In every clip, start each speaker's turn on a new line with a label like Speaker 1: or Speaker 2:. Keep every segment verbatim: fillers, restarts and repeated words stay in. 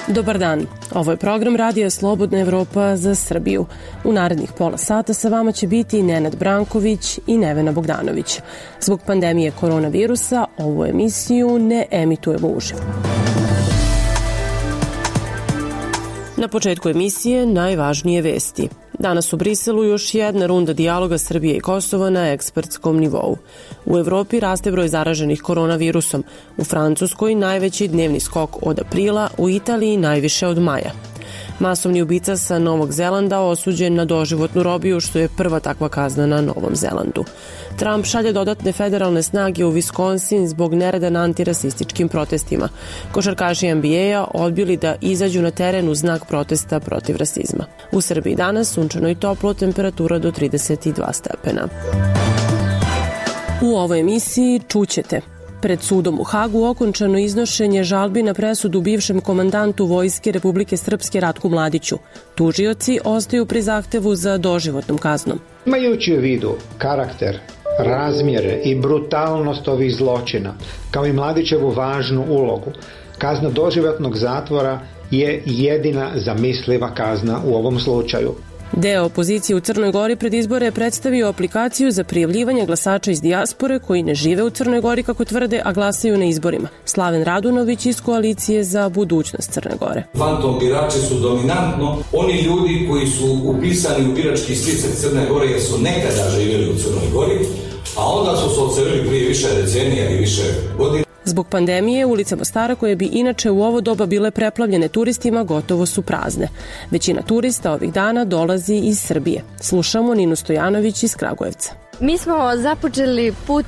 Speaker 1: Dobar dan, ovo je program Radija Slobodna Evropa za Srbiju. U narednih pola sata sa vama će biti Nenad Branković i Nevena Bogdanović. Zbog pandemije koronavirusa ovu emisiju ne emitujemo uživo. Na početku emisije najvažnije vesti. Danas u Briselu još jedna runda dijaloga Srbije i Kosova na ekspertskom nivou. U Evropi raste broj zaraženih koronavirusom, u Francuskoj najveći dnevni skok od aprila, u Italiji najviše od maja. Masovni ubica sa Novog Zelanda osuđen na doživotnu robiju, što je prva takva kazna na Novom Zelandu. Trump šalje dodatne federalne snage u Wisconsin zbog nereda na antirasističkim protestima. Košarkaši N B A-a odbili da izađu na teren u znak protesta protiv rasizma. U Srbiji danas sunčano i toplo, temperatura do trideset dva stepena. U ovoj emisiji čućete: pred sudom u Hagu okončano iznošenje žalbi na presudu bivšem komandantu Vojske Republike Srpske Ratku Mladiću. Tužioci ostaju pri zahtevu za doživotnom kaznom.
Speaker 2: Imajući u vidu karakter, razmjere i brutalnost ovih zločina, kao i Mladićevu važnu ulogu, kazna doživotnog zatvora je jedina zamisliva kazna u ovom slučaju.
Speaker 1: Deo opozicije u Crnoj Gori pred izbore je predstavio aplikaciju za prijavljivanje glasača iz dijaspore koji ne žive u Crnoj Gori, kako tvrde, a glasaju na izborima. Slaven Radunović iz Koalicije za budućnost Crne Gore.
Speaker 3: Fantom birači su dominantno oni ljudi koji su upisani u birački spisak Crne Gore jer su nekada živjeli u Crnoj Gori, a onda su se odselili prije više decenija i više godina.
Speaker 1: Zbog pandemije, ulice Mostara, koje bi inače u ovo doba bile preplavljene turistima, gotovo su prazne. Većina turista ovih dana dolazi iz Srbije. Slušamo Ninu Stojanović iz Kragujevca.
Speaker 4: Mi smo započeli put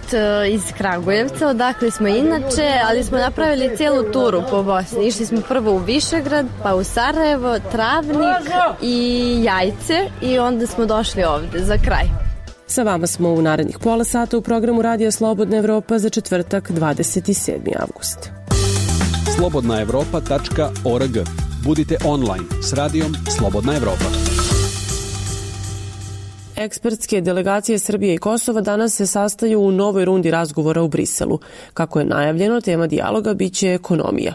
Speaker 4: iz Kragujevca, odakle smo inače, ali smo napravili cijelu turu po Bosni. Išli smo prvo u Višegrad, pa u Sarajevo, Travnik i Jajce i onda smo došli ovde za kraj.
Speaker 1: Sa vama smo u narednih pola sata u programu Radija Slobodna Evropa za četvrtak dvadeset sedmi avgust.
Speaker 5: slobodna evropa tačka org. Budite online s radijom Slobodna Evropa.
Speaker 1: Ekspertske delegacije Srbije i Kosova danas se sastaju u novoj rundi razgovora u Briselu. Kako je najavljeno, tema dijaloga biće ekonomija.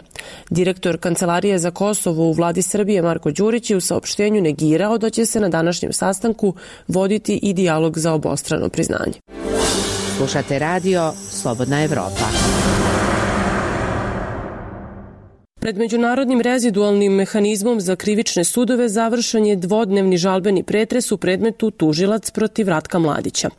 Speaker 1: Direktor Kancelarije za Kosovo u vladi Srbije Marko Đurić je u saopštenju negirao da će se na današnjem sastanku voditi i dijalog za obostrano priznanje.
Speaker 6: Slušate radio Slobodna Evropa.
Speaker 1: Pred Međunarodnim rezidualnim mehanizmom za krivične sudove završen je dvodnevni žalbeni pretres u predmetu Tužilac protiv Ratka Mladića.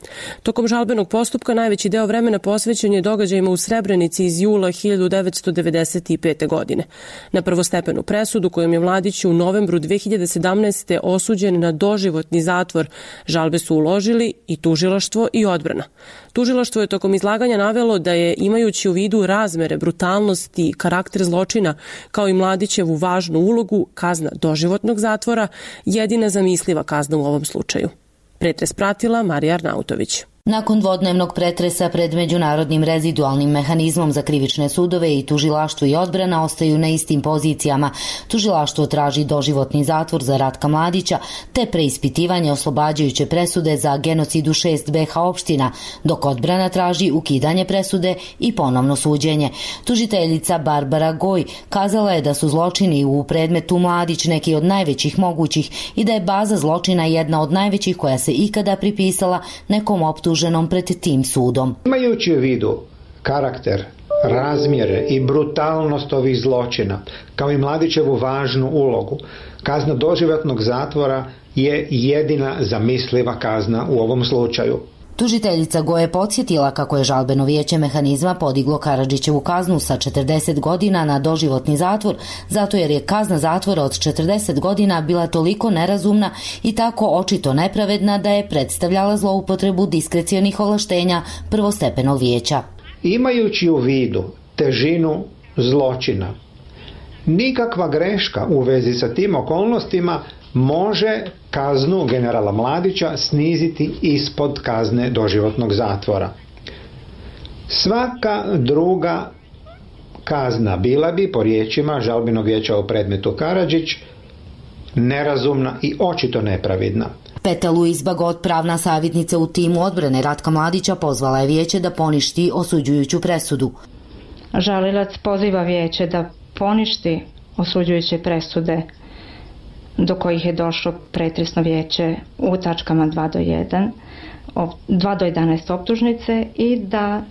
Speaker 1: Tokom žalbenog postupka najveći deo vremena posvećen je događajima u Srebrenici iz jula hiljadu devetsto devedeset pete. godine. Na prvostepenu presudu kojom je Mladić u novembru dve hiljade sedamnaeste. osuđen na doživotni zatvor, žalbe su uložili i tužilaštvo i odbrana. Tužilaštvo je tokom izlaganja navelo da je, imajući u vidu razmere, brutalnosti i karakter zločina, kao i Mladićevu važnu ulogu, kazna doživotnog zatvora jedina zamisliva kazna u ovom slučaju. Pretres pratila Marija Arnautović.
Speaker 7: Nakon dvodnevnog pretresa pred Međunarodnim rezidualnim mehanizmom za krivične sudove i tužilaštvo i odbrana ostaju na istim pozicijama. Tužilaštvo traži doživotni zatvor za Ratka Mladića te preispitivanje oslobađajuće presude za genocid u šest B H opština, dok odbrana traži ukidanje presude i ponovno suđenje. Tužiteljica Barbara Goj kazala je da su zločini u predmetu Mladić neki od najvećih mogućih i da je baza zločina jedna od najvećih koja se ikada pripisala nekom optuženom pred tim sudom.
Speaker 2: Imajući u vidu karakter, razmjere i brutalnost ovih zločina, kao i Mladićevu važnu ulogu, kazna doživotnog zatvora je jedina zamisliva kazna u ovom slučaju.
Speaker 7: Tužiteljica Goje je podsjetila kako je žalbeno vijeće mehanizma podiglo Karadžićevu kaznu sa četrdeset godina na doživotni zatvor, zato jer je kazna zatvora od četrdeset godina bila toliko nerazumna i tako očito nepravedna da je predstavljala zloupotrebu diskrecionih ovlaštenja prvostepenog vijeća.
Speaker 2: Imajući u vidu težinu zločina, nikakva greška u vezi sa tim okolnostima može kaznu generala Mladića sniziti ispod kazne doživotnog zatvora. Svaka druga kazna bila bi, po riječima žalbenog vijeća u predmetu Karadžić, nerazumna i očito nepravedna.
Speaker 7: Peta Luis Bagot, pravna savjetnica u timu odbrane Ratka Mladića, pozvala je vijeće da poništi osuđujuću presudu.
Speaker 8: Žalilac poziva vijeće da poništi osuđujuće presude do kojih je došlo pretresno vijeće u tačkama dva do jedan, dva do jedanaest optužnice i da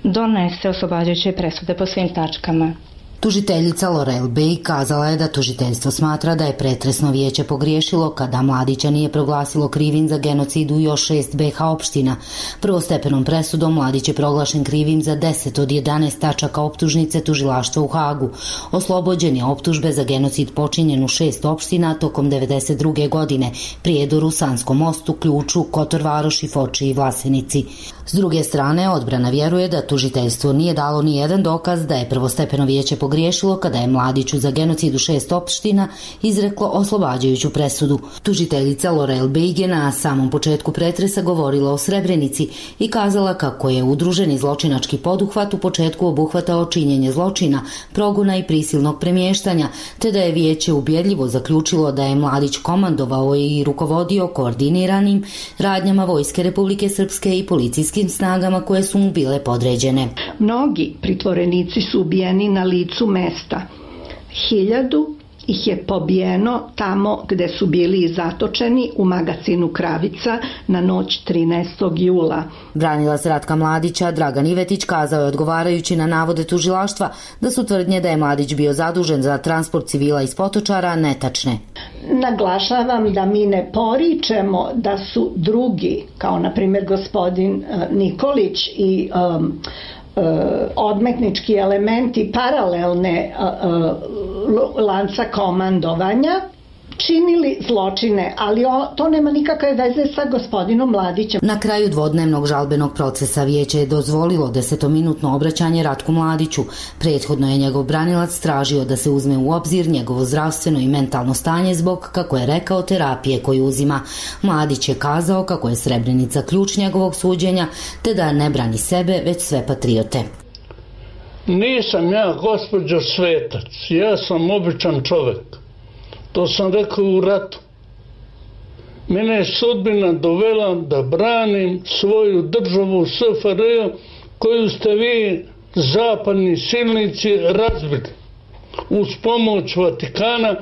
Speaker 8: donese oslobađajuće presude po svim tačkama.
Speaker 7: Tužiteljica Lorel Bey kazala je da tužiteljstvo smatra da je pretresno vijeće pogriješilo kada Mladića nije proglasilo krivim za genocid u još šest be ha opština. Prvostepenom presudom Mladić je proglašen krivim za deset od jedanaest tačaka optužnice tužilaštva u Hagu. Oslobođen je optužbe za genocid počinjen u šest opština tokom devedeset druge godine, Prijedoru, Sanskom mostu, Ključu, Kotor Varoši, Foči i Vlasenici. S druge strane, odbrana vjeruje da tužiteljstvo nije dalo ni jedan dokaz da je prvostepeno vijeće pogriješilo kada je Mladiću za genocid u šest opština izreklo oslobađajuću presudu. Tužiteljica Lorel Bey je na samom početku pretresa govorila o Srebrenici i kazala kako je udruženi zločinački poduhvat u početku obuhvatao činjenje zločina, progona i prisilnog premještanja, te da je vijeće ubjedljivo zaključilo da je Mladić komandovao i rukovodio koordiniranim radnjama Vojske Republike Srpske i policijskim snagama koje su mu bile podređene.
Speaker 9: Mnogi pritvorenici su ubijeni na licu mesta. Hiljadu ih je pobijeno tamo gde su bili zatočeni u magacinu Kravica na noć trinaestog jula.
Speaker 7: Branilac Ratka Mladića Dragan Ivetić kazao je odgovarajući na navode tužilaštva da su tvrdnje da je Mladić bio zadužen za transport civila iz Potočara netačne.
Speaker 9: Naglašavam da mi ne poričemo da su drugi, kao na primjer gospodin Nikolić i um, odmetnički elementi paralelne lanca komandovanja činili zločine, ali to nema nikakve veze sa gospodinom Mladićem.
Speaker 7: Na kraju dvodnevnog žalbenog procesa vijeće je dozvolilo desetominutno obraćanje Ratku Mladiću. Prethodno je njegov branilac tražio da se uzme u obzir njegovo zdravstveno i mentalno stanje zbog, kako je rekao, terapije koju uzima. Mladić je kazao kako je Srebrenica ključ njegovog suđenja, te da ne brani sebe, već sve patriote.
Speaker 10: Nisam ja, gospođo, svetac. Ja sam običan čovek. To sam rekao u ratu. Mene je sudbina dovela da branim svoju državu S F R J koju ste vi, zapadni silnici, razbili uz pomoć Vatikana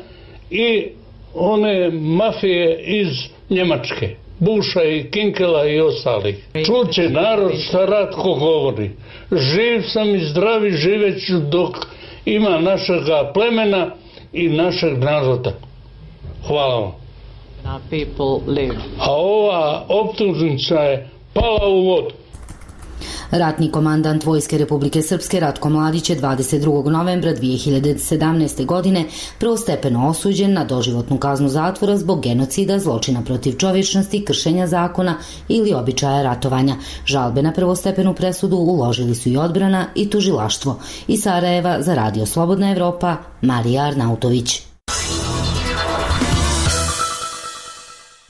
Speaker 10: i one mafije iz Njemačke, Buša i Kinkela i ostalih. Čuće narod šta Ratko govori. Živ sam i zdravi, živeću dok ima našega plemena i našeg naroda. Hvala vam. A ova optužnica je pala u vodu.
Speaker 7: Ratni komandant Vojske Republike Srpske Ratko Mladić je dvadeset drugog novembra dvije hiljade sedamnaeste. godine prvostepeno osuđen na doživotnu kaznu zatvora zbog genocida, zločina protiv čovječnosti, kršenja zakona ili običaja ratovanja. Žalbe na prvostepenu presudu uložili su i odbrana i tužilaštvo. Iz Sarajeva za Radio Slobodna Evropa, Marija Arnautović.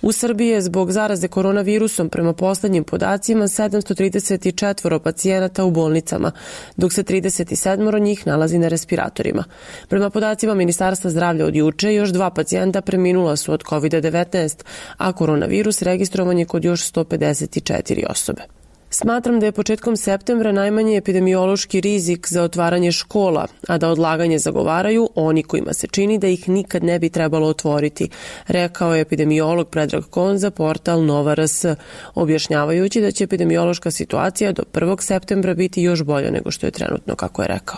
Speaker 1: U Srbiji je zbog zaraze koronavirusom prema poslednjim podacima sedamsto trideset četiri pacijenata u bolnicama, dok se trideset sedam njih nalazi na respiratorima. Prema podacima Ministarstva zdravlja od juče, još dva pacijenta preminula su od kovid devetnaest, a koronavirus registrovan je kod još sto pedeset četiri osobe. Smatram da je početkom septembra najmanji epidemiološki rizik za otvaranje škola, a da odlaganje zagovaraju oni kojima se čini da ih nikad ne bi trebalo otvoriti, rekao je epidemiolog Predrag Kon za portal Nova R S, objašnjavajući da će epidemiološka situacija do prvog septembra biti još bolja nego što je trenutno, kako je rekao.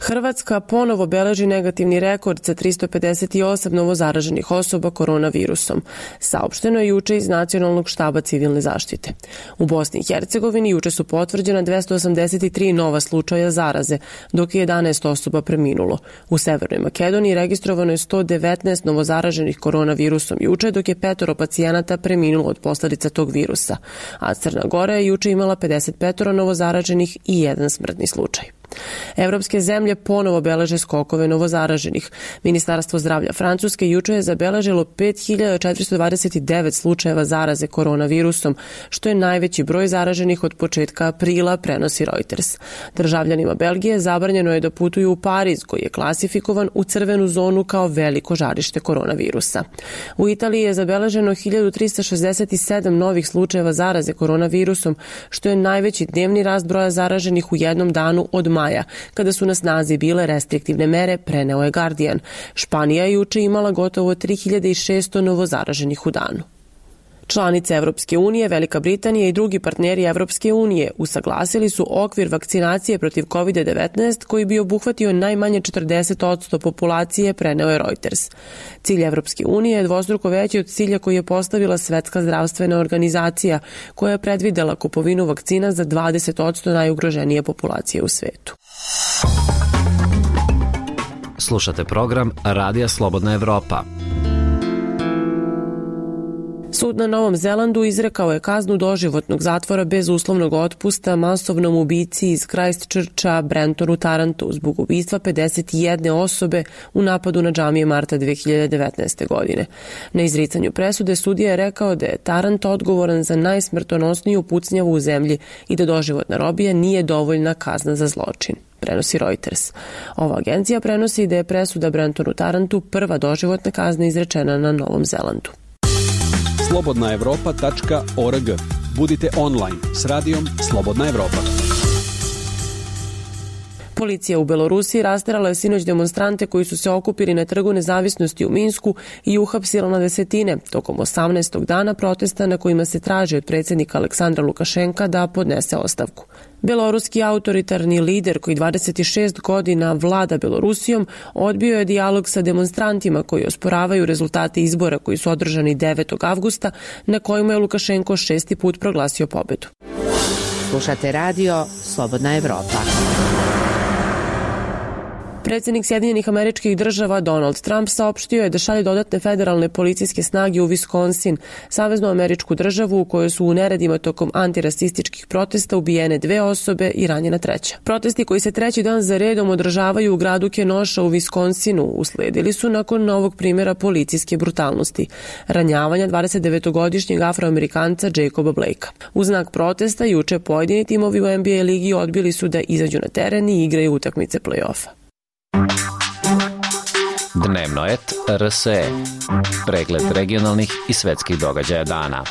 Speaker 1: Hrvatska ponovo beleži negativni rekord sa tristo pedeset osam novozaraženih osoba koronavirusom. Saopšteno je juče iz Nacionalnog štaba civilne zaštite. U Bosni i Hercegovini juče su potvrđena dvesta osamdeset tri nova slučaja zaraze, dok je jedanaest osoba preminulo. U Severnoj Makedoniji registrovano je sto devetnaest novozaraženih koronavirusom juče, dok je petoro pacijenata preminulo od posledica tog virusa. A Crna Gora je juče imala pedeset pet novozaraženih i jedan smrtni slučaj. Evropske zemlje ponovo beleže skokove novozaraženih. Ministarstvo zdravlja Francuske juče je zabeležilo pet hiljada četiristo dvadeset devet slučajeva zaraze koronavirusom, što je najveći broj zaraženih od početka aprila, prenosi Reuters. Državljanima Belgije zabranjeno je da putuju u Pariz, koji je klasifikovan u crvenu zonu kao veliko žarište koronavirusa. U Italiji je zabeleženo hiljadu trista šezdeset sedam novih slučajeva zaraze koronavirusom, što je najveći dnevni rast broja zaraženih u jednom danu od maja, kada su na snazi bile restriktivne mere, preneo je Guardian. Španija je juče imala gotovo tri hiljade šesto novozaraženih u danu. Članice Evropske unije, Velika Britanija i drugi partneri Evropske unije usaglasili su okvir vakcinacije protiv kovid devetnaest koji bi obuhvatio najmanje četrdeset posto populacije, preneo je Reuters. Cilj Evropske unije je dvostruko veći od cilja koji je postavila Svetska zdravstvena organizacija, koja je predvidela kupovinu vakcina za dvadeset posto najugroženije populacije u svetu.
Speaker 11: Slušate program Radija Slobodna Evropa.
Speaker 1: Sud na Novom Zelandu izrekao je kaznu doživotnog zatvora bez uslovnog otpusta masovnom ubici iz Christchurcha Brentonu Tarantu zbog ubistva pedeset jedne osobe u napadu na džamije marta dve hiljade devetnaeste. godine. Na izricanju presude sudija je rekao da je Tarant odgovoran za najsmrtonosniju pucnjavu u zemlji i da doživotna robija nije dovoljna kazna za zločin, prenosi Reuters. Ova agencija prenosi da je presuda Brentonu Tarantu prva doživotna kazna izrečena na Novom Zelandu.
Speaker 5: slobodna evropa tačka org. Budite online s radijom Slobodna Evropa.
Speaker 1: Policija u Belorusiji rasterala je sinoć demonstrante koji su se okupili na Trgu nezavisnosti u Minsku i uhapsila na desetine tokom osamnaestog dana protesta na kojima se traži od predsjednika Aleksandra Lukašenka da podnese ostavku. Beloruski autoritarni lider koji dvadeset šest godina vlada Belorusijom odbio je dijalog sa demonstrantima koji osporavaju rezultate izbora koji su održani devetog avgusta na kojima je Lukašenko šesti put proglasio pobedu.
Speaker 6: Slušate radio Slobodna Evropa.
Speaker 1: Predsjednik Sjedinjenih Američkih Država Donald Trump saopštio je da šalje dodatne federalne policijske snage u Wisconsin, saveznu američku državu u kojoj su u neredima tokom antirasističkih protesta ubijene dve osobe i ranjena treća. Protesti koji se treći dan za redom održavaju u gradu Kenosha u Wisconsinu usledili su nakon novog primjera policijske brutalnosti, ranjavanja dvadesetdevetogodišnjeg afroamerikanca Jacoba Blakea. U znak protesta juče pojedini timovi u N B A ligi odbili su da izađu na teren i igraju utakmice play-offa.
Speaker 11: Dnevno et R S E. Pregled regionalnih i svetskih događaja dana.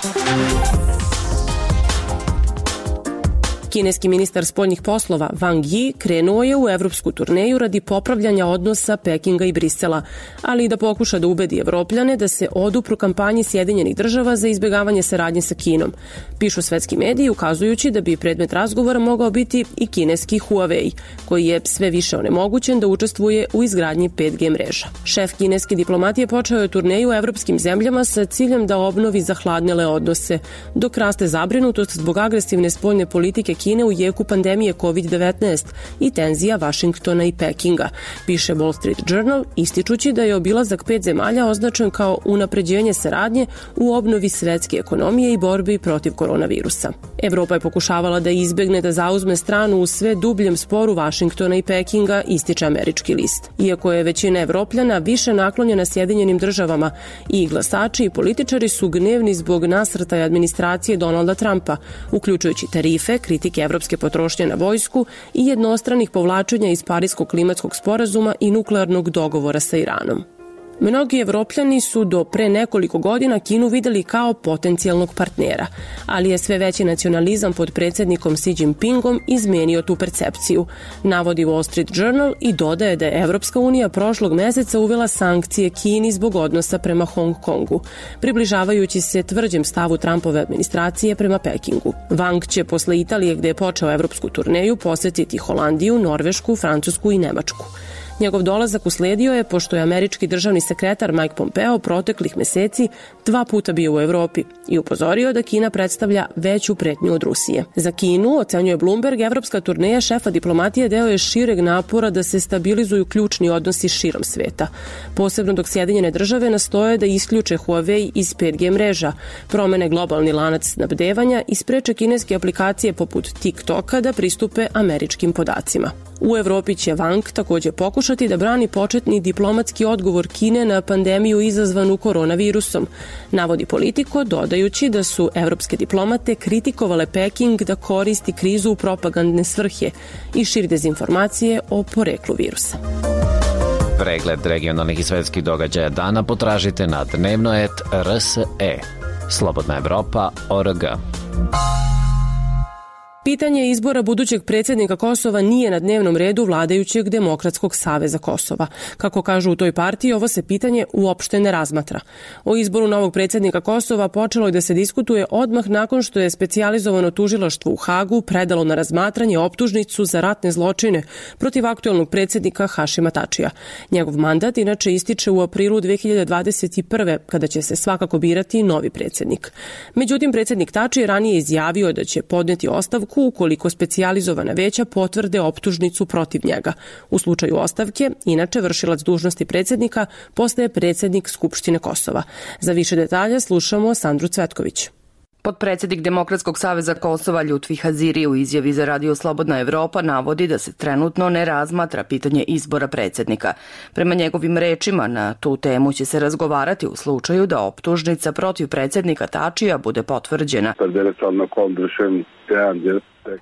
Speaker 1: Kineski ministar spoljnih poslova Wang Yi krenuo je u evropsku turneju radi popravljanja odnosa Pekinga i Brisela, ali i da pokuša da ubedi Evropljane da se odupru kampanji Sjedinjenih država za izbjegavanje saradnje sa Kinom. Pišu svetski mediji ukazujući da bi predmet razgovora mogao biti i kineski Huawei, koji je sve više onemogućen da učestvuje u izgradnji pet G mreža. Šef kineske diplomatije počeo je turneju u evropskim zemljama sa ciljem da obnovi zahladnele odnose, dok raste zabrinutost zbog agresivne spoljne politike Kine u jeku pandemije kovid devetnaest i tenzija Vašingtona i Pekinga, piše Wall Street Journal, ističući da je obilazak pet zemalja označen kao unapređenje saradnje u obnovi svetske ekonomije i borbi protiv koronavirusa. Evropa je pokušavala da izbegne da zauzme stranu u sve dubljem sporu Vašingtona i Pekinga, ističe američki list. Iako je većina Evropljana više naklonjena Sjedinjenim državama, i glasači i političari su gnevni zbog nasrtaja administracije Donalda Trumpa, uključujući tarife, kritike evropske potrošnje na vojsku i jednostranih povlačenja iz Pariskog klimatskog sporazuma i nuklearnog dogovora sa Iranom. Mnogi Evropljani su do pre nekoliko godina Kinu videli kao potencijalnog partnera, ali je sve veći nacionalizam pod predsjednikom Xi Jinpingom izmenio tu percepciju, navodi Wall Street Journal i dodaje da je Evropska unija prošlog meseca uvela sankcije Kini zbog odnosa prema Hong Kongu, približavajući se tvrđem stavu Trumpove administracije prema Pekingu. Wang će posle Italije, gde je počeo evropsku turneju, posetiti Holandiju, Norvešku, Francusku i Nemačku. Njegov dolazak usledio je pošto je američki državni sekretar Mike Pompeo proteklih meseci dva puta bio u Evropi i upozorio da Kina predstavlja veću pretnju od Rusije. Za Kinu, ocenjuje Bloomberg, evropska turneja šefa diplomatije deo je šireg napora da se stabilizuju ključni odnosi širom sveta, posebno dok Sjedinjene države nastoje da isključe Huawei iz pet G mreža, promene globalni lanac snabdevanja i spreče kineske aplikacije poput TikToka da pristupe američkim podacima. U Evropi će Wang takođe pokušati da brani početni diplomatski odgovor Kine na pandemiju izazvanu koronavirusom, navodi Politico, dodajući da su evropske diplomate kritikovale Peking da koristi krizu u propagandne svrhe i širi dezinformacije o poreklu virusa.
Speaker 11: Pregled regionalnih i svetskih događaja dana potražite na dnevnoet R S E. Slobodna Evropa O R G.
Speaker 1: Pitanje izbora budućeg predsjednika Kosova nije na dnevnom redu vladajućeg Demokratskog saveza Kosova. Kako kažu u toj partiji, ovo se pitanje uopšte ne razmatra. O izboru novog predsjednika Kosova počelo je da se diskutuje odmah nakon što je specijalizovano tužilaštvo u Hagu predalo na razmatranje optužnicu za ratne zločine protiv aktuelnog predsjednika Hašima Tačija. Njegov mandat inače ističe u aprilu dve hiljade dvadeset prve. kada će se svakako birati novi predsjednik. Međutim, predsjednik Tači je ranije izjavio da će podneti ostavku ukoliko specijalizovana veća potvrde optužnicu protiv njega. U slučaju ostavke, inače vršilac dužnosti predsjednika postaje predsjednik Skupštine Kosova. Za više detalja slušamo Sandru Cvetković.
Speaker 12: Potpredsjednik Demokratskog saveza Kosova Ljutfi Haziri u izjavi za Radio Slobodna Evropa navodi da se trenutno ne razmatra pitanje izbora predsjednika. Prema njegovim rečima, na tu temu će se razgovarati u slučaju da optužnica protiv predsjednika Tačija bude potvrđena.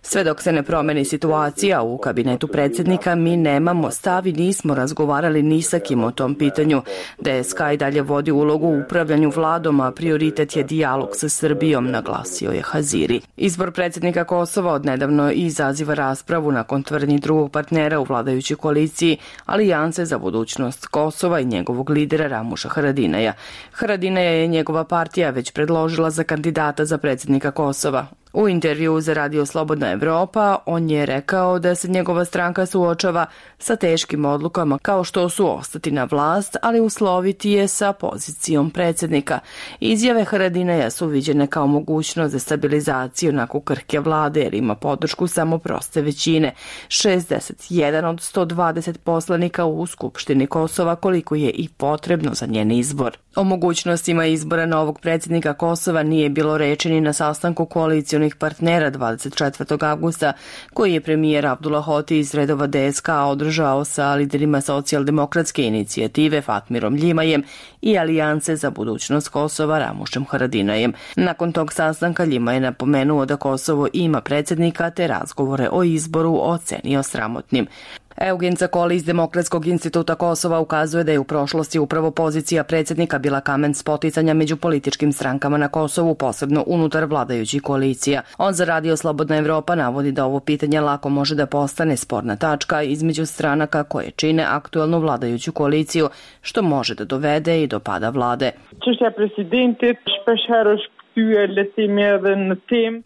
Speaker 12: Sve dok se ne promeni situacija u kabinetu predsjednika, mi nemamo stav i nismo razgovarali ni sa kim o tom pitanju. D S K i dalje vodi ulogu u upravljanju vladom, a prioritet je dijalog sa Srbijom, naglasio je Haziri. Izbor predsjednika Kosova odnedavno izaziva raspravu nakon tvrdnji drugog partnera u vladajućoj koaliciji Alijance za budućnost Kosova i njegovog lidera Ramuša Haradinaja. Haradinaja je njegova partija već predložila za kandidata za predsjednika Kosova. U intervjuu za Radio Slobodna Evropa on je rekao da se njegova stranka suočava sa teškim odlukama kao što su ostati na vlast, ali usloviti je sa pozicijom predsjednika. Izjave Haradinaja su viđene kao mogućnost za stabilizaciju nakon krhke vlade jer ima podršku samo proste većine, šezdeset jedan od sto dvadeset poslanika u Skupštini Kosova, koliko je i potrebno za njen izbor. O mogućnostima izbora novog predsjednika Kosova nije bilo reči ni na sastanku koalicijonih partnera dvadeset četvrtog avgusta, koji je premijer Abdullah Hoti iz redova D S K održao sa liderima socijaldemokratske inicijative Fatmirom Ljimajem i Alijance za budućnost Kosova Ramušem Haradinajem. Nakon tog sastanka Ljima je napomenuo da Kosovo ima predsjednika te razgovore o izboru ocenio sramotnim. Eugen Cakoli iz Demokratskog instituta Kosova ukazuje da je u prošlosti upravo pozicija predsjednika bila kamen spoticanja među političkim strankama na Kosovu, posebno unutar vladajućih koalicija. On za Radio Slobodna Evropa navodi da ovo pitanje lako može da postane sporna tačka između stranaka koje čine aktuelnu vladajuću koaliciju, što može da dovede i do pada vlade.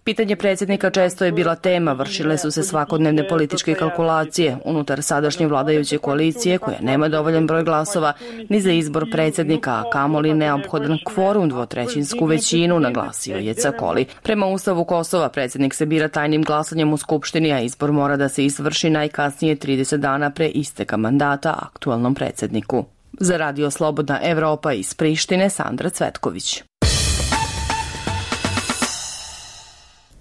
Speaker 12: Pitanje predsjednika često je bila tema, vršile su se svakodnevne političke kalkulacije unutar sadašnje vladajuće koalicije koja nema dovoljan broj glasova ni za izbor predsjednika, a kamoli neophodan kvorum dvotrećinsku većinu, naglasio je Cakoli. Prema Ustavu Kosova predsjednik se bira tajnim glasanjem u Skupštini, a izbor mora da se izvrši najkasnije trideset dana pre isteka mandata aktuelnom predsjedniku. Za Radio Slobodna Evropa iz Prištine, Sandra Cvetković.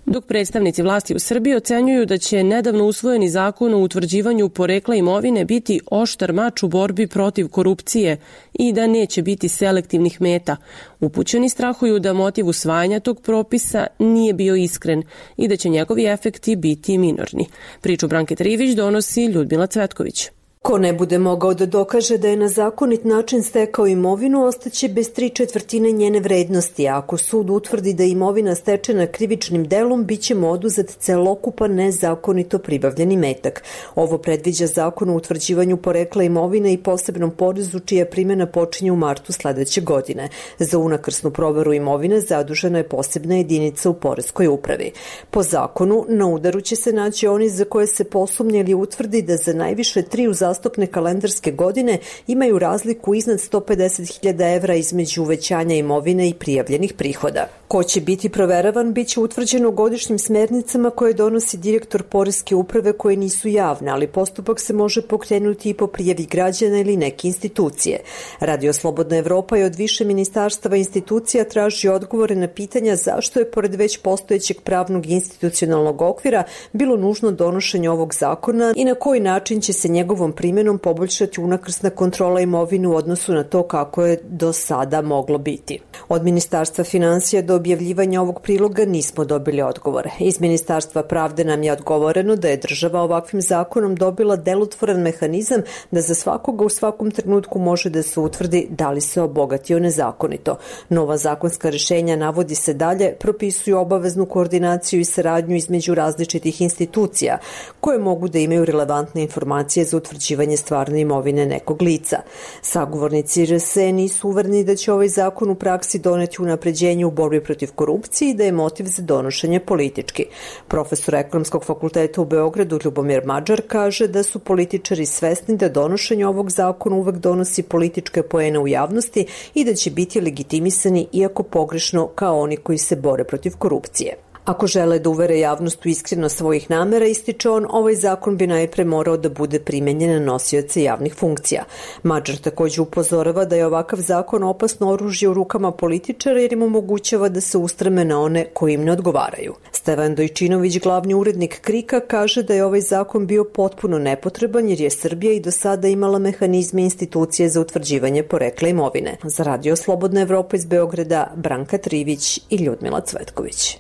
Speaker 1: Dok predstavnici vlasti u Srbiji ocenjuju da će nedavno usvojeni zakon o utvrđivanju porekla imovine biti oštar mač u borbi protiv korupcije i da neće biti selektivnih meta, upućeni strahuju da motiv usvajanja tog propisa nije bio iskren i da će njegovi efekti biti minorni. Priču Branke Trivić donosi Ljudmila Cvetković.
Speaker 13: Ko ne bude mogao da dokaže da je na zakonit način stekao imovinu, ostaće bez tri četvrtine njene vrednosti, a ako sud utvrdi da je imovina stečena krivičnim delom, bit će mu oduzet celokupan nezakonito pribavljeni metak. Ovo predviđa zakon o utvrđivanju porekla imovine i posebnom porezu čija primjena počinje u martu sledeće godine. Za unakrsnu proveru imovine zadužena je posebna jedinica u poreskoj upravi. Po zakonu, na udaru će se naći oni za koje se posumnje ili utvrdi da za najviše tri uzastopne uzastopne kalendarske godine imaju razliku iznad sto pedeset hiljada evra između uvećanja imovine i prijavljenih prihoda. Ko će biti proveravan biće utvrđeno godišnjim smernicama koje donosi direktor Poreske uprave koje nisu javne, ali postupak se može pokrenuti i po prijavi građana ili neke institucije. Radio Slobodna Evropa je od više ministarstava i institucija traži odgovore na pitanja zašto je pored već postojećeg pravnog i institucionalnog okvira bilo nužno donošenje ovog zakona i na koji način će se njegovom primjenom poboljšati unakrsna kontrola imovine u odnosu na to kako je do sada moglo biti. Od Ministarstva finansija do objavljivanja ovog priloga nismo dobili odgovore. Iz Ministarstva pravde nam je odgovoreno da je država ovakvim zakonom dobila delotvoran mehanizam da za svakoga u svakom trenutku može da se utvrdi da li se obogatio nezakonito. Nova zakonska rješenja, navodi se dalje, propisuju obaveznu koordinaciju i saradnju između različitih institucija koje mogu da imaju relevantne informacije za utvrđivanje stvarne imovine nekog lica. Sagovornici R S E nisu uvereni da će ovaj zakon u praksi doneti unapređenje u borbi protiv korupcije i da je motiv za donošenje politički. Profesor Ekonomskog fakulteta u Beogradu Ljubomir Mađar kaže da su političari svesni da donošenje ovog zakona uvek donosi političke poene u javnosti i da će biti legitimisani iako pogrešno kao oni koji se bore protiv korupcije. Ako žele da uvere javnost u iskrenost svojih namera, ističe on, ovaj zakon bi najpre morao da bude primenjen na nosioce javnih funkcija. Mađar također upozorava da je ovakav zakon opasno oružje u rukama političara jer im omogućava da se ustreme na one koji im ne odgovaraju. Stevan Dojčinović, glavni urednik Krika, kaže da je ovaj zakon bio potpuno nepotreban jer je Srbija i do sada imala mehanizme institucije za utvrđivanje porekla imovine. Za Radio Slobodna Evropa iz Beograda, Branka Trivić i Ljudmila Cvetković.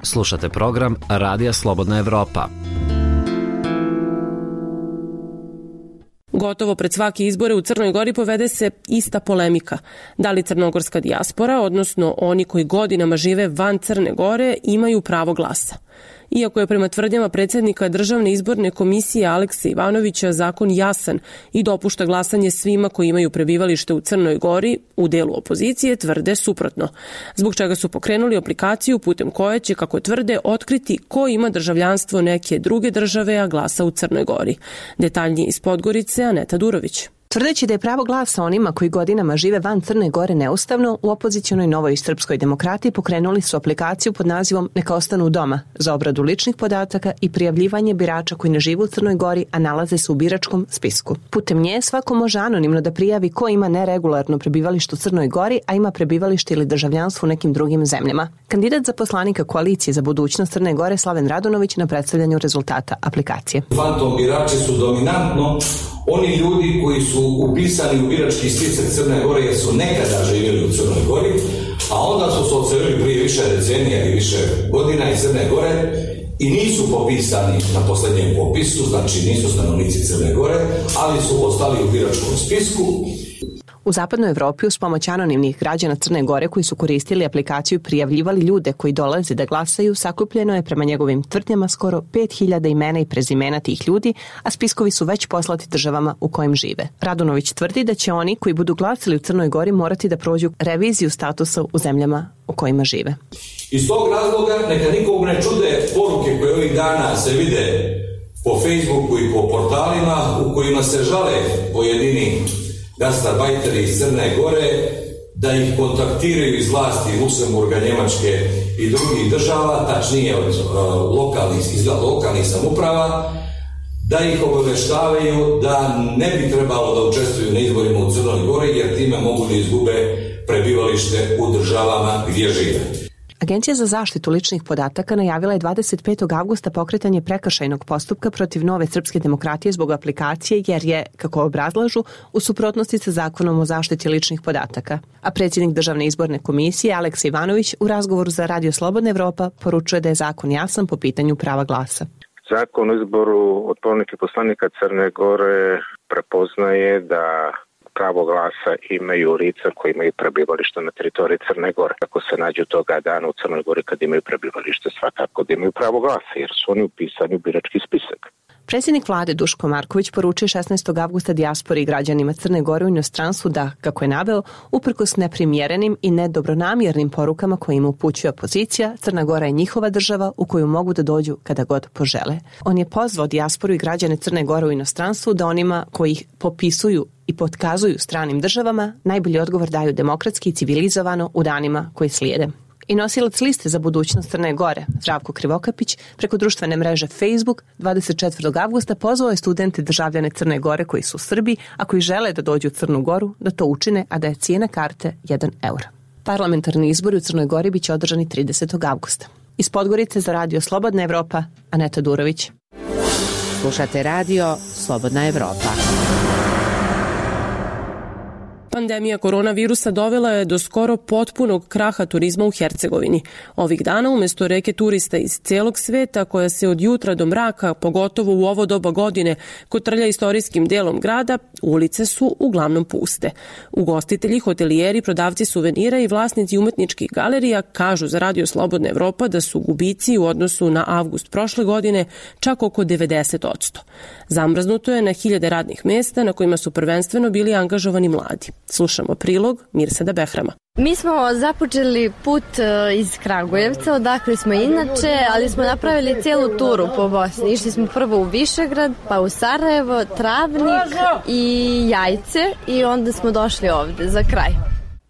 Speaker 11: Slušate program Radija Slobodna Evropa.
Speaker 1: Gotovo pred svake izbore u Crnoj Gori povede se ista polemika. Da li crnogorska dijaspora, odnosno oni koji godinama žive van Crne Gore, imaju pravo glasa? Iako je prema tvrdnjama predsjednika Državne izborne komisije Alekse Ivanovića zakon jasan i dopušta glasanje svima koji imaju prebivalište u Crnoj Gori, u delu opozicije tvrde suprotno. Zbog čega su pokrenuli aplikaciju putem koje će, kako tvrde, otkriti ko ima državljanstvo neke druge države, a glasa u Crnoj Gori. Detaljnije iz Podgorice, Aneta Durović.
Speaker 14: Tvrdeći da je pravo glasa onima koji godinama žive van Crne Gore neustavno, u opozicionoj Novoj srpskoj demokratiji pokrenuli su aplikaciju pod nazivom Neka ostanu doma za obradu ličnih podataka i prijavljivanje birača koji ne žive u Crnoj Gori, a nalaze se u biračkom spisku. Putem nje svako može anonimno da prijavi ko ima neregularno prebivalište u Crnoj Gori, a ima prebivalište ili državljanstvo u nekim drugim zemljama. Kandidat za poslanika koalicije za budućnost Crne Gore Slaven Radunović na predstavljanju rezultata aplikacije.
Speaker 3: Fantom birači su dominantno oni ljudi koji su upisani u birački spisak Crne Gore jer su nekada živjeli u Crnoj Gori, a onda su se odselili prije više decenija i više godina iz Crne Gore i nisu popisani na posljednjem popisu, znači nisu stanovnici Crne Gore, ali su ostali u biračkom spisku.
Speaker 14: U zapadnoj Evropi uz pomoć anonimnih građana Crne Gore koji su koristili aplikaciju i prijavljivali ljude koji dolaze da glasaju, sakupljeno je prema njegovim tvrdnjama skoro pet hiljada imena i prezimena tih ljudi, a spiskovi su već poslati državama u kojim žive. Radunović tvrdi da će oni koji budu glasili u Crnoj Gori morati da prođu reviziju statusa u zemljama u kojima žive.
Speaker 3: Iz tog razloga neka nikog ne čude poruke koje ovih dana se vide po Facebooku i po portalima u kojima se žale pojedini gastarbajteri iz Crne Gore da ih kontaktiraju iz vlasti Luksemburga, Njemačke i drugih država, tačnije od uh, lokalnih, iz lokalnih samuprava, da ih obaveštavaju da ne bi trebalo da učestvuju na izborima u Crnoj Gori jer time mogu da izgube prebivalište u državama gdje žive.
Speaker 14: Agencija za zaštitu ličnih podataka najavila je dvadeset petog avgusta pokretanje prekršajnog postupka protiv Nove srpske demokratije zbog aplikacije jer je, kako obrazlažu, u suprotnosti sa zakonom o zaštiti ličnih podataka. A predsjednik Državne izborne komisije Aleksa Ivanović u razgovoru za Radio Slobodna Evropa poručuje da je zakon jasan po pitanju prava glasa.
Speaker 15: Zakon o izboru odbornika i poslanika Crne Gore prepoznaje da pravo glasa imaju lica koji imaju prebivalište na teritoriji Crne Gore. Ako se nađu toga dana u Crnoj Gori kad imaju prebivalište, svakako da imaju pravo glasa jer su oni upisani u birački spisak.
Speaker 14: Predsjednik vlade Duško Marković poručio šesnaestog avgusta dijaspori i građanima Crne Gore u inostranstvu da, kako je naveo, uprkos neprimjerenim i nedobronamjernim porukama koje im upućuje opozicija, Crna Gora je njihova država u koju mogu da dođu kada god požele. On je pozvao dijasporu i građane Crne Gore u inostranstvu da onima koji ih popisuju i potkazuju stranim državama najbolji odgovor daju demokratski i civilizovano u danima koji slijede. I nosilac liste za budućnost Crne Gore, Zdravko Krivokapić, preko društvene mreže Facebook dvadeset četvrtog avgusta pozvao je studente državljane Crne Gore koji su u Srbiji, a koji žele da dođu u Crnu Goru, da to učine, a da je cijena karte jedan euro. Parlamentarni izbori u Crnoj Gori biće održani tridesetog avgusta. Iz Podgorice za radio Slobodna Evropa, Aneta Durović.
Speaker 6: Slušate radio Slobodna Evropa.
Speaker 1: Pandemija koronavirusa dovela je do skoro potpunog kraha turizma u Hercegovini. Ovih dana umjesto reke turista iz cijelog sveta koja se od jutra do mraka, pogotovo u ovo doba godine, kotrlja istorijskim delom grada, ulice su uglavnom puste. Ugostitelji, hotelijeri, prodavci suvenira i vlasnici umetničkih galerija kažu za radio Slobodna Evropa da su gubici u odnosu na avgust prošle godine čak oko devedeset posto. Zamrznuto je na hiljade radnih mjesta na kojima su prvenstveno bili angažovani mladi. Slušamo prilog Mirsada Behrama.
Speaker 4: Mi smo započeli put iz Kragujevca, odakle smo inače, ali smo napravili cijelu turu po Bosni. Išli smo prvo u Višegrad, pa u Sarajevo, Travnik i Jajce i onda smo došli ovdje za kraj.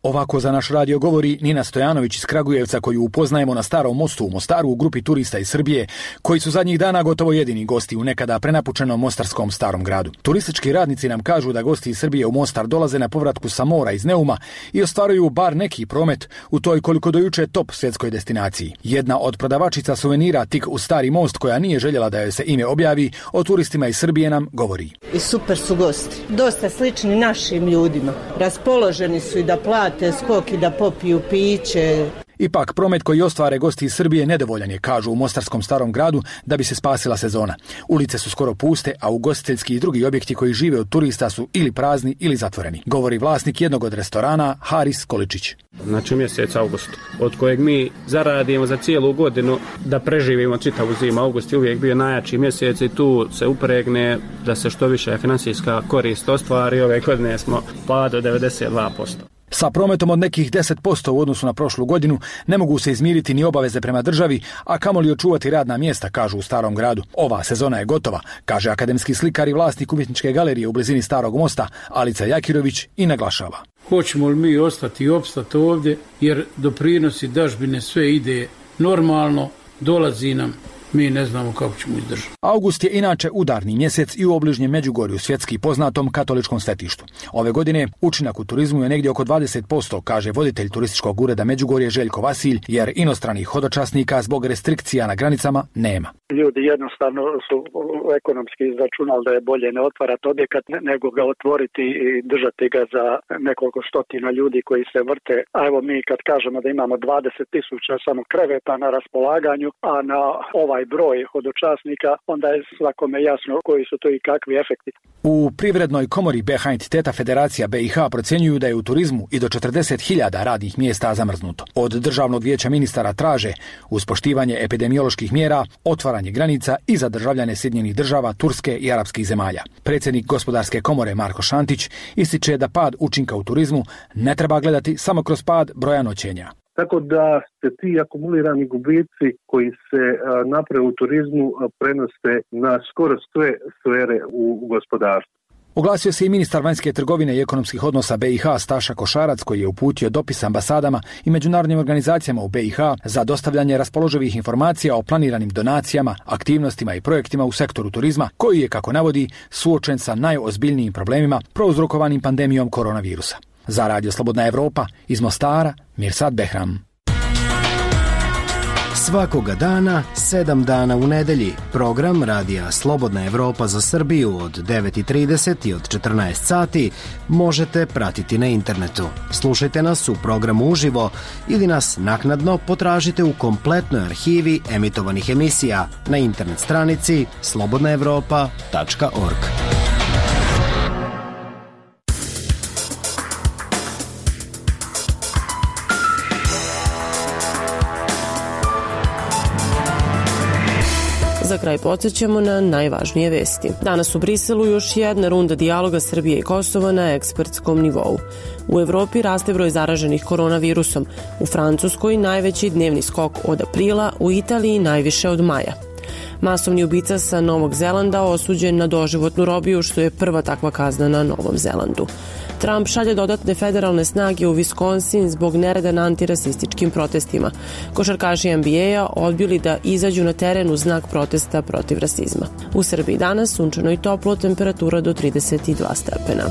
Speaker 16: Ovako za naš radio govori Nina Stojanović iz Kragujevca, koju upoznajemo na Starom mostu u Mostaru u grupi turista iz Srbije, koji su zadnjih dana gotovo jedini gosti u nekada prenapučenom mostarskom starom gradu. Turistički radnici nam kažu da gosti iz Srbije u Mostar dolaze na povratku sa mora iz Neuma i ostvaruju bar neki promet u toj koliko do juče top svjetskoj destinaciji. Jedna od prodavačica suvenira tik u Stari most, koja nije željela da joj se ime objavi, o turistima iz Srbije nam govori.
Speaker 17: I super su gosti, dosta slični našim ljudima. Raspoloženi su i da plate skok i da popiju piće.
Speaker 16: Ipak, promet koji ostvare gosti iz Srbije nedovoljan je, kažu u mostarskom starom gradu, da bi se spasila sezona. Ulice su skoro puste, a ugostiteljski i drugi objekti koji žive od turista su ili prazni ili zatvoreni, govori vlasnik jednog od restorana, Haris Količić.
Speaker 18: Znači mjesec august, od kojeg mi zaradimo za cijelu godinu da preživimo čitavu zimu. August je uvijek bio najjači mjesec i tu se upregne da se što više financijska korist ostvari. Ove godine smo pad do devedeset dva posto.
Speaker 16: Sa prometom od nekih deset posto u odnosu na prošlu godinu ne mogu se izmiriti ni obaveze prema državi, a kamoli očuvati radna mjesta, kažu u Starom gradu. Ova sezona je gotova, kaže akademski slikar i vlasnik umjetničke galerije u blizini Starog mosta, Alica Jakirović, i naglašava.
Speaker 19: Hoćemo li mi ostati i opstati ovdje, jer doprinosi dažbine sve ide normalno, dolazi nam. Mi ne znamo kako ćemo izdržati.
Speaker 16: August je inače udarni mjesec i u obližnjem Međugorju, svjetski poznatom katoličkom svetištu. Ove godine učinak u turizmu je negdje oko dvadeset posto, kaže voditelj turističkog ureda Međugorje Željko Vasilj, jer inostranih hodočasnika zbog restrikcija na granicama nema.
Speaker 20: Ljudi jednostavno su ekonomski izračunali da je bolje ne otvarati objekat nego ga otvoriti i držati ga za nekoliko stotina ljudi koji se vrte. A evo mi kad kažemo da imamo dvadeset tisuća samo kreveta na raspolaganju, a na ovaj broj hodočasnika, onda je svakome jasno koji su to i kakvi efekti.
Speaker 16: U Privrednoj komori Behind Teta Federacija B i H procjenjuju da je u turizmu i do četrdeset hiljada radnih mjesta zamrznuto. Od Državnog vijeća ministara traže, uz poštivanje epidemioloških mjera, otvaranje granica i za državljane Sjedinjenih država, Turske i arapskih zemalja. Predsjednik Gospodarske komore Marko Šantić ističe da pad učinka u turizmu ne treba gledati samo kroz pad broja noćenja.
Speaker 21: Tako da se ti akumulirani gubici koji se naprave u turizmu prenose na skoro sve sfere u gospodarstvu.
Speaker 16: Oglasio se i ministar vanjske trgovine i ekonomskih odnosa B i H Staša Košarac, koji je uputio dopis ambasadama i međunarodnim organizacijama u B i H za dostavljanje raspoloživih informacija o planiranim donacijama, aktivnostima i projektima u sektoru turizma, koji je, kako navodi, suočen sa najozbiljnijim problemima prouzrokovanim pandemijom koronavirusa. Za radio Slobodna Evropa iz Mostara, Mirsad Behram.
Speaker 22: Svakoga dana, sedam dana u nedelji, program radija Slobodna Evropa za Srbiju od devet i trideset i od četrnaest sati možete pratiti na internetu. Slušajte nas u programu uživo ili nas naknadno potražite u kompletnoj arhivi emitovanih emisija na internet stranici slobodna evropa tačka org.
Speaker 1: Za za kraj podsjećamo na najvažnije vesti. Danas u Briselu još jedna runda dijaloga Srbije i Kosova na ekspertskom nivou. U Evropi raste broj zaraženih koronavirusom, u Francuskoj najveći dnevni skok od aprila, u Italiji najviše od maja. Masovni ubica sa Novog Zelanda osuđen na doživotnu robiju, što je prva takva kazna na Novom Zelandu. Trump šalje dodatne federalne snage u Wisconsin zbog nereda na antirasističkim protestima. Košarkaši N B A-a odbili da izađu na teren u znak protesta protiv rasizma. U Srbiji danas sunčano i toplo, temperatura do trideset dva stepena.